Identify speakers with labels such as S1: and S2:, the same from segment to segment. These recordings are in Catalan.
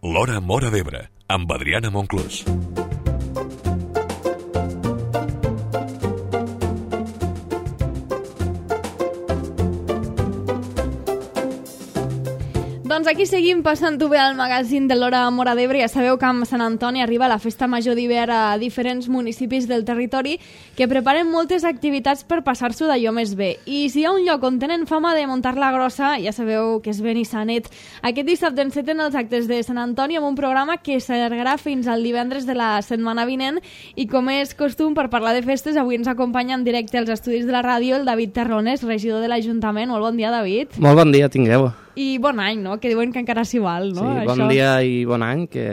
S1: L'Hora Móra d'Ebre, amb Adriana Monclús.
S2: Doncs aquí seguim passant-ho bé al magazín de l'Hora Móra d'Ebre. Ja sabeu que amb Sant Antoni arriba la Festa Major d'hivern a diferents municipis del territori que preparen moltes activitats per passar-s'ho d'allò més bé. I si hi ha un lloc on tenen fama de muntar-la grossa, ja sabeu que és Benissanet. Aquest dissabte enceten els actes de Sant Antoni amb un programa que s'allargarà fins al divendres de la setmana vinent i com és costum per parlar de festes, avui ens acompanya en directe als estudis de la ràdio el David Terrones, regidor de l'Ajuntament. Molt bon dia, David.
S3: Molt bon dia, tingueu.
S2: I bon any, no? Que diuen que encara s'hi val, no?
S3: Sí, bon dia i bon any, que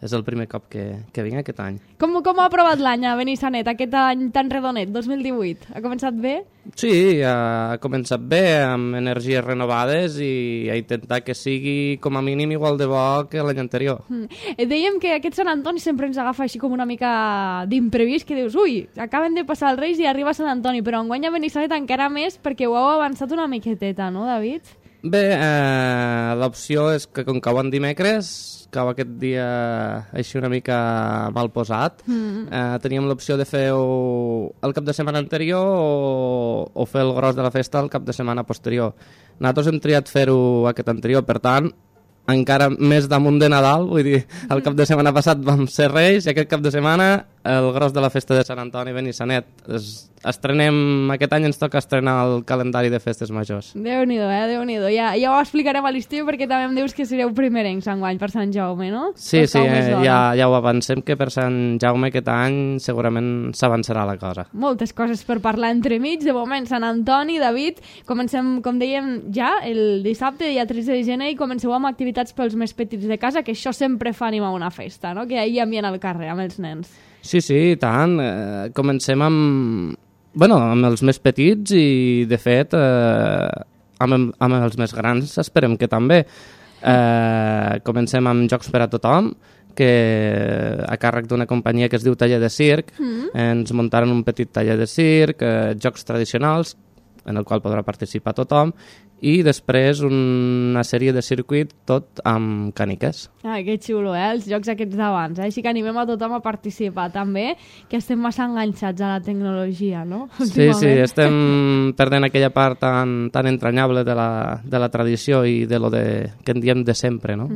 S3: és el primer cop que vinc aquest any.
S2: Com ha aprovat l'any a Benissanet, aquest any tan redonet, 2018? Ha començat bé?
S3: Sí, ha començat bé, amb energies renovades i a intentar que sigui com a mínim igual de bo que l'any anterior.
S2: Dèiem que aquest Sant Antoni sempre ens agafa així com una mica d'imprevist, que dius, ui, acaben de passar els Reis i arriba Sant Antoni, però enguany a Benissanet encara més perquè ho heu avançat una miqueteta, no, David?
S3: Bé, l'opció és que com cau en dimecres, cau aquest dia així una mica mal posat, teníem l'opció de fer-ho el cap de setmana anterior o fer el gros de la festa el cap de setmana posterior. Nosaltres hem triat fer-ho aquest anterior, per tant, encara més damunt de Nadal, vull dir, el cap de setmana passat vam ser Reis i aquest cap de setmana el gros de la festa de Sant Antoni Benissanet. Estrenem, aquest any ens toca estrenar el calendari de festes majors.
S2: Déu-n'hi-do, Déu-n'hi-do. Ja ho explicarem a l'estiu perquè també em dius que sereu primerencs enguany per Sant Jaume, no?
S3: Sí, ja ho avancem, que per Sant Jaume aquest any segurament s'avançarà la cosa.
S2: Moltes coses per parlar entremig. De moment, Sant Antoni, David, comencem, com dèiem, ja el dissabte, dia 13 de gener, i comenceu amb activitats pels més petits de casa, que això sempre fa animar una festa, no? Que hi ha ambient al carrer amb els nens.
S3: Sí, i tant. Comencem amb els més petits i, de fet, amb els més grans esperem que també. Comencem amb jocs per a tothom, que a càrrec d'una companyia que es diu Taller de Circ, ens muntaren un petit taller de circ, jocs tradicionals, en el qual podrà participar tothom, i després una sèrie de circuit tot amb càniques.
S2: Que xulo, els jocs aquests d'abans. Així que animem a tothom a participar també, que estem massa enganxats a la tecnologia, no?
S3: Sí, estem perdent aquella part tan entranyable de la tradició i de lo que en diem de sempre, no?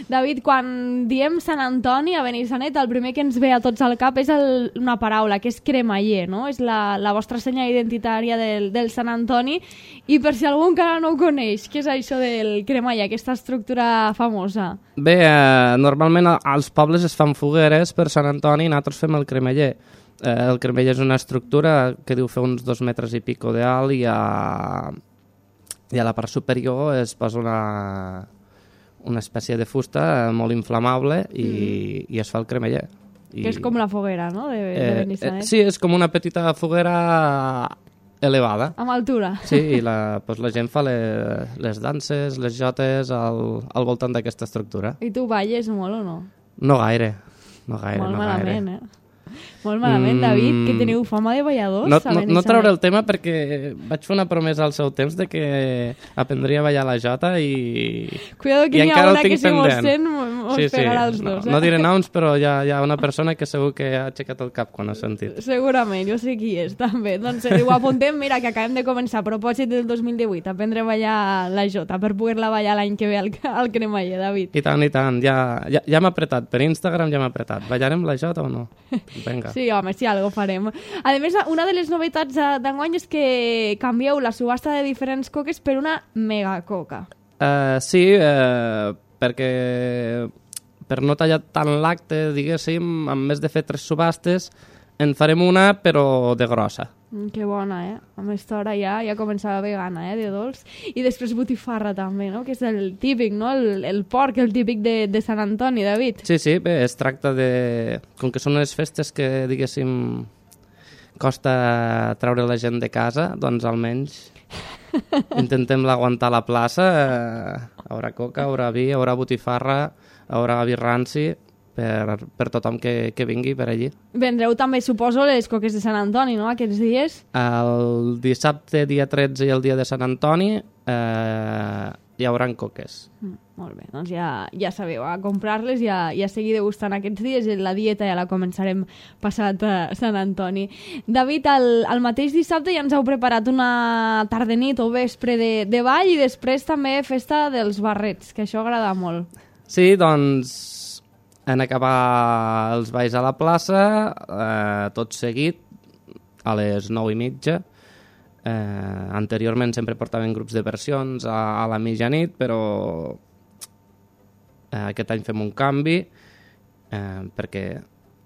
S2: David, quan diem Sant Antoni a Benissanet, el primer que ens ve a tots al cap és una paraula, que és cremaller, no? És la vostra senya identitària del Sant Antoni, i per si algú encara no ho coneix, què és això del cremaller, aquesta estructura famosa?
S3: Bé, normalment als pobles es fan fogueres per Sant Antoni i nosaltres fem el cremaller. El cremaller és una estructura que diu fer uns 2 metres i pico d'alt i a la part superior es posa una espècie de fusta molt inflamable i es fa el cremaller.
S2: Que és com la foguera, no?, de Benissanet.
S3: Sí, és com una petita foguera elevada.
S2: Amb altura.
S3: Sí, i la gent fa les danses, les jotes al voltant d'aquesta estructura.
S2: I tu balles molt o no?
S3: No gaire.
S2: Molt malament, Molt malament, David, que teniu fama de balladors.
S3: No trauré el tema perquè vaig fer una promesa al seu temps de que aprendria a ballar la jota i...
S2: Cuidado que n'hi ha una que si mos sent mos pegarà els dos.
S3: No diré noms, però hi ha una persona que segur que ha aixecat el cap quan ha sentit.
S2: Segurament, jo sé qui és, també. Doncs ho apuntem, mira, que acabem de començar a propòsit del 2018, aprendre a ballar la jota per poder-la ballar l'any que ve al cremaller, David.
S3: I tant, ja m'ha apretat. Per Instagram ja m'ha apretat. Ballarem la jota o no? Vinga.
S2: Sí, home, sí, algo farem. A més, una de les novetats d'enguany és que canvieu la subhasta de diferents coques per una megacoca.
S3: Sí, perquè per no tallar tant l'acte, diguéssim, en més de fer 3 subhastes, en farem una, però de grossa.
S2: Que bona, Amb aquesta hora ja començava a haver gana, de dolç. I després botifarra també, no? Que és el típic, no? El porc, el típic de Sant Antoni, David.
S3: Sí, bé, es tracta de... Com que són unes festes que, diguéssim, costa treure la gent de casa, doncs almenys intentem l'aguantar a la plaça. Haurà coca, haurà vi, haurà botifarra, haurà vi ranci... per tothom que vingui per allí.
S2: Vendreu també, suposo, les coques de Sant Antoni, no?, aquests dies?
S3: El dissabte, dia 13, i el dia de Sant Antoni, hi haurà coques.
S2: Molt bé, doncs ja sabeu, a comprar-les i a seguir degustant aquests dies. La dieta ja la començarem passat a Sant Antoni. David, el mateix dissabte ja ens heu preparat una tarda-nit o vespre de ball i després també festa dels barrets, que això agrada molt.
S3: Sí, doncs en acabar els balls a la plaça, tot seguit, a les 9:30. Anteriorment sempre portaven grups de versions a la mitjanit, però aquest any fem un canvi perquè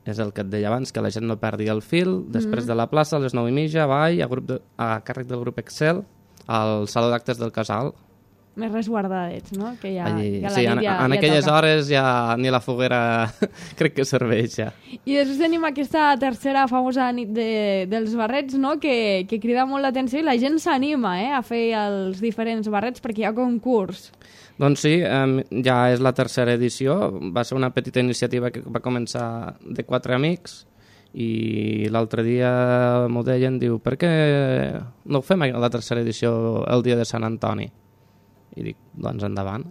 S3: és el que et deia abans, que la gent no perdi el fil. Després de la plaça, a les 9:30, ball a càrrec del grup Excel al Saló d'Actes del Casal.
S2: Més resguardadets, no? Que ja,
S3: Allí,
S2: ja la
S3: sí,
S2: nit
S3: en aquelles
S2: toca.
S3: hores ja ni la foguera crec que serveix ja.
S2: I després tenim aquesta tercera famosa nit dels barrets, no? Que crida molt l'atenció i la gent s'anima a fer els diferents barrets perquè hi ha concurs.
S3: Doncs sí, ja és la tercera edició. Va ser una petita iniciativa que va començar de 4 amics i l'altre dia m'ho deien, diu, per què no ho fem la tercera edició el dia de Sant Antoni? I dic, doncs endavant.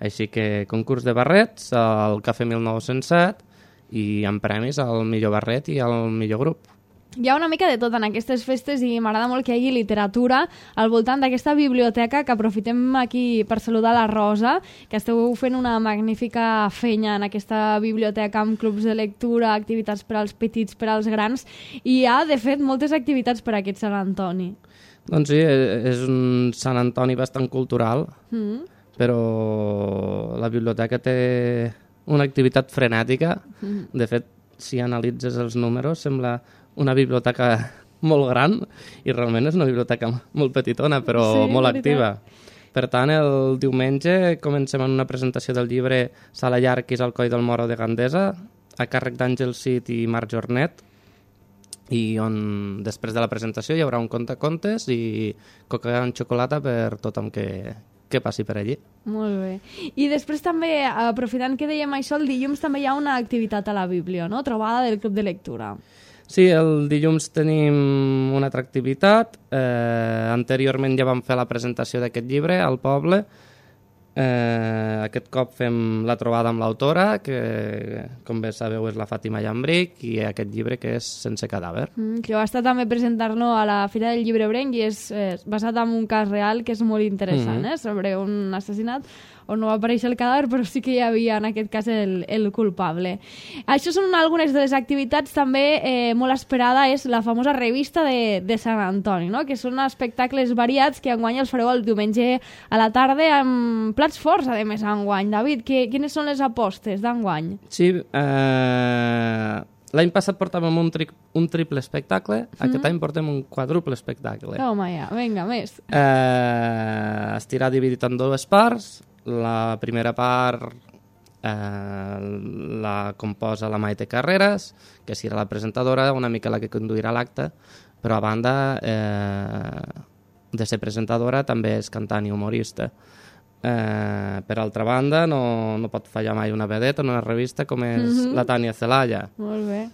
S3: Així que concurs de barrets al Cafè 1907 i amb premis al millor barret i al millor grup.
S2: Hi ha una mica de tot en aquestes festes i m'agrada molt que hi hagi literatura al voltant d'aquesta biblioteca, que aprofitem aquí per saludar la Rosa, que esteu fent una magnífica feina en aquesta biblioteca amb clubs de lectura, activitats per als petits, per als grans, i hi ha, de fet, moltes activitats per a aquest Sant Antoni.
S3: Doncs sí, és un Sant Antoni bastant cultural, però la biblioteca té una activitat frenètica. De fet, si analitzes els números, sembla una biblioteca molt gran i realment és una biblioteca molt petitona, però
S2: sí,
S3: molt
S2: veritat.
S3: activa. Per tant, el diumenge comencem amb una presentació del llibre Sala Llarquis al coll del Moro de Gandesa, a càrrec d'Àngel Cid i Marc Jornet, i on després de la presentació hi haurà un contacontes i coca amb xocolata per tothom que passi per allí.
S2: Molt bé. I després també, aprofitant que dèiem això, el dilluns també hi ha una activitat a la Bíblia, no? Trobada del Club de Lectura.
S3: Sí, el dilluns tenim una altra activitat. Anteriorment ja vam fer la presentació d'aquest llibre al poble. Aquest cop fem la trobada amb l'autora, que com bé sabeu és la Fàtima Llambric, i aquest llibre que és Sense cadàver.
S2: Que va estar també presentant-lo a la Fira del Llibre Brenc i és basat en un cas real que és molt interessant, sobre un assassinat on no va aparèixer el cadàver, però sí que hi havia en aquest cas el culpable. Això són algunes de les activitats. També molt esperada és la famosa revista de Sant Antoni, no? Que són espectacles variats que enguany els fareu el diumenge a la tarda amb plats forts, a més, enguany. David, quines són les apostes d'enguany?
S3: Sí, l'any passat portàvem un triple espectacle, aquest any portem un quadruple espectacle.
S2: Home, ja, vinga, més.
S3: Estirà dividit en dues parts. La primera part la composa la Maite Carreras, que serà la presentadora, una mica la que conduirà l'acte, però a banda de ser presentadora també és cantant i humorista. Per altra banda, no pot fallar mai una vedeta en una revista com és la Tània Celaya.
S2: Molt bé.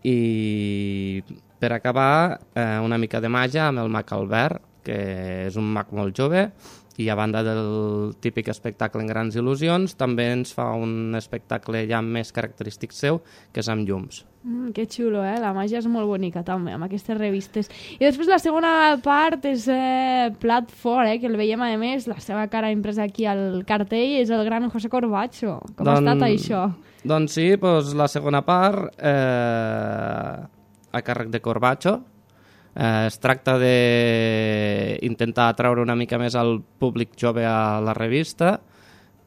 S3: I per acabar, una mica de màgia amb el mag Albert, que és un mag molt jove, i a banda del típic espectacle en grans il·lusions, també ens fa un espectacle ja més característic seu, que és amb llums.
S2: Que xulo, la màgia és molt bonica també, amb aquestes revistes. I després la segona part és plat fort, que el veiem a més, la seva cara impresa aquí al cartell, és el gran José Corbacho. Com ha estat això?
S3: Doncs sí, la segona part a càrrec de Corbacho. Es tracta d'intentar atraure una mica més al públic jove a la revista.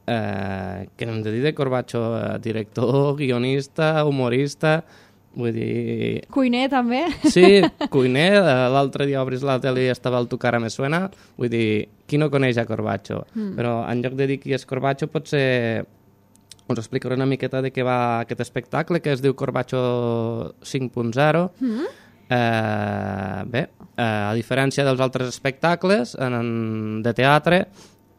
S3: Què hem de dir de Corbacho? Director, guionista, humorista, vull dir...
S2: Cuiner, també?
S3: Sí, cuiner. L'altre dia obris la tele i estava el Tu cara me suena. Vull dir, qui no coneix a Corbacho? Però en lloc de dir qui és Corbacho, potser us explicaré una miqueta de què va aquest espectacle, que es diu Corbacho 5.0. Bé, a diferència dels altres espectacles de teatre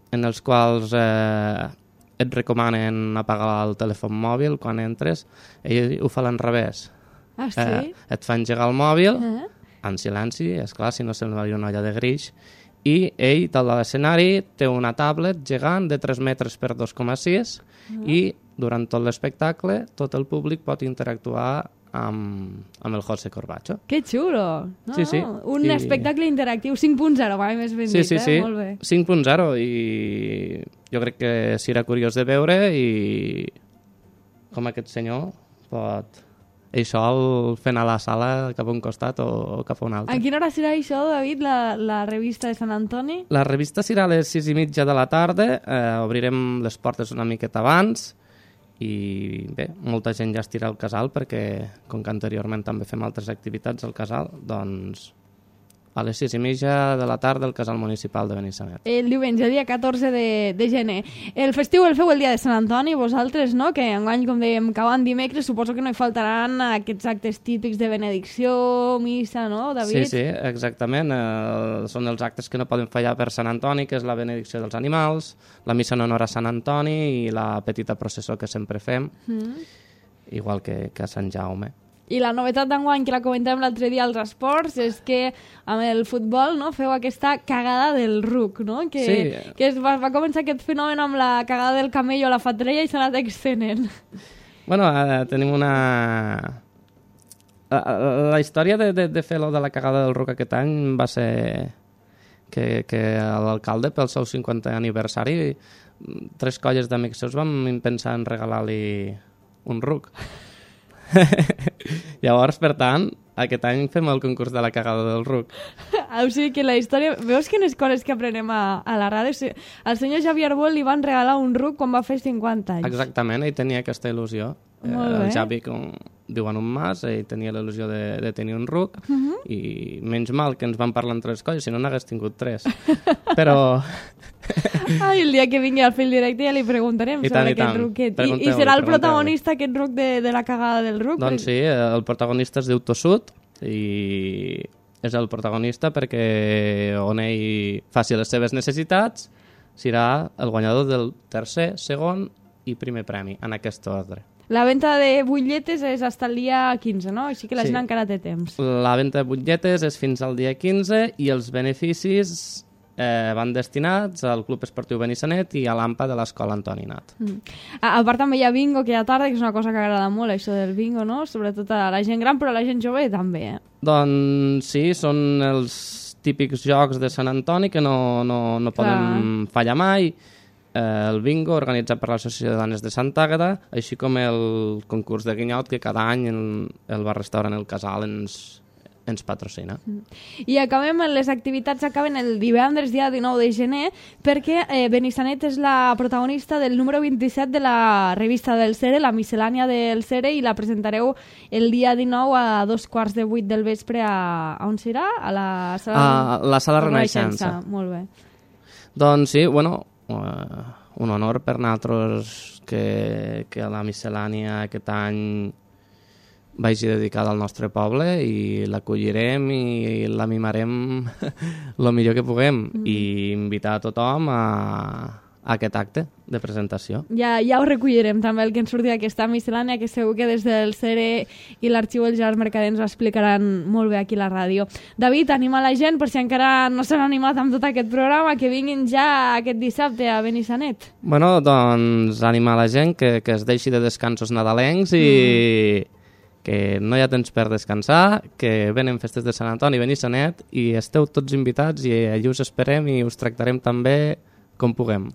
S3: en els quals et recomanen apagar el telèfon mòbil quan entres, ell ho fa a l'enrevés.
S2: Ah, sí?
S3: Et fa engegar el mòbil en silenci, esclar, si no sembla una olla de greix, i ell, dalt de l'escenari, té una tablet gegant de 3 metres per 2,6 i durant tot l'espectacle tot el públic pot interactuar amb el José Corbacho.
S2: Que xulo! No,
S3: Sí, sí.
S2: Un espectacle interactiu 5.0, mai més ben dit,
S3: Sí.
S2: Molt bé.
S3: 5.0 i jo crec que serà curiós de veure i com aquest senyor pot ell sol fent a la sala cap a un costat o cap a un altre.
S2: A quina hora serà això, David, la revista de Sant Antoni?
S3: La revista serà a les 6:30 de la tarda, obrirem les portes una miqueta abans i bé, molta gent ja estirà al casal perquè, com que anteriorment també fem altres activitats al casal, doncs a les 6:30 de la tarda al casal municipal de Benissanet.
S2: El diumenge, dia 14 de gener. El festiu el feu el dia de Sant Antoni, vosaltres, no? Que enguany, com dèiem, cauen dimecres, suposo que no hi faltaran aquests actes típics de benedicció, missa, no, David?
S3: Sí, exactament. Són els actes que no poden fallar per Sant Antoni, que és la benedicció dels animals, la missa en honor a Sant Antoni i la petita processó que sempre fem, igual que a Sant Jaume.
S2: I la novetat d'enguany, que la comentàvem l'altre dia als esports, és que amb el futbol, no, feu aquesta cagada del ruc, no? Que va començar aquest fenomen amb la cagada del camello a la fatrella i s'ha anat extenent.
S3: Bueno, tenim una... La història de fer lo de la cagada del ruc aquest any va ser que l'alcalde, pel seu 50è aniversari, 3 colles d'amics seus vam pensar en regalar-li un ruc. Llavors, per tant, aquest any fem el concurs de la cagada del ruc.
S2: O sigui que la història... Veus quines coses que aprenem a la ràdio? O sigui, al senyor Xavier Arbol li van regalar un ruc quan va fer 50 anys.
S3: Exactament, ell tenia aquesta il·lusió. El Xavi, com diuen un mas, ell tenia l'il·lusió de tenir un ruc i menys mal que ens van parlar en 3 colles, si no n'hagués tingut 3. Però...
S2: Ai, el dia que vingui al fil directe ja li preguntarem sobre aquest ruquet. I serà el protagonista aquest ruc de la cagada del ruc?
S3: Doncs sí, el protagonista es diu Tossut i és el protagonista perquè on ell faci les seves necessitats serà el guanyador del 3è, 2è i 1è premi, en aquest ordre.
S2: La venda de butlletes és fins al dia 15, no? Així que la gent encara té temps.
S3: La venda de butlletes és fins al dia 15 i els beneficis van destinats al Club Esportiu Benissanet i a l'AMPA de l'Escola Antoni Nat.
S2: A part també hi ha bingo que hi ha tarda, que és una cosa que agrada molt, això del bingo, no? Sobretot a la gent gran, però a la gent jove també, Doncs
S3: sí, són els típics jocs de Sant Antoni que no poden fallar mai. El bingo organitzat per l'Associació de Dones de Sant Àgata, així com el concurs de guinyot que cada any el bar-restaurant El Casal ens patrocina.
S2: I les activitats acaben el divendres, dia 19 de gener, perquè Benissanet és la protagonista del número 27 de la revista del Cere, la miscel·lània del Cere, i la presentareu el dia 19 a 2:15 del vespre on serà? A la sala
S3: Renaixença.
S2: Molt bé.
S3: Doncs sí, bueno, un honor per nosaltres que la miscel·lània aquest any vagi dedicada al nostre poble i l'acollirem i la mimarem el millor que puguem i invitar a tothom a aquest acte de presentació.
S2: Ja ho recollirem també el que ens surti d'aquesta miscel·lània, que segur que des del Cere i l'Arxiu del Gerard Mercader ens ho explicaran molt bé aquí a la ràdio. David, anima la gent, per si encara no s'han animat amb tot aquest programa, que vinguin ja aquest dissabte a Benissanet.
S3: Bueno, doncs animar la gent que es deixi de descansos nadalencs i que no hi ha temps per descansar, que venen festes de Sant Antoni i Benissanet i esteu tots invitats i allí us esperem i us tractarem també com puguem.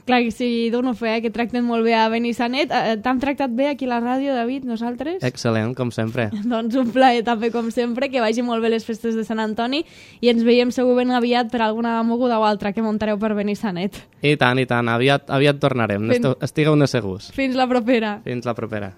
S2: Clar que sí, dono fe, que tracten molt bé a Benissanet. T'hem tractat bé aquí a la ràdio, David, nosaltres?
S3: Excel·lent, com sempre.
S2: Doncs un plaer també, com sempre, que vagi molt bé les festes de Sant Antoni i ens veiem segur ben aviat per alguna moguda o altra que muntareu per Benissanet.
S3: I tant, aviat tornarem, estigueu-ne segurs.
S2: Fins la propera.
S3: Fins la propera.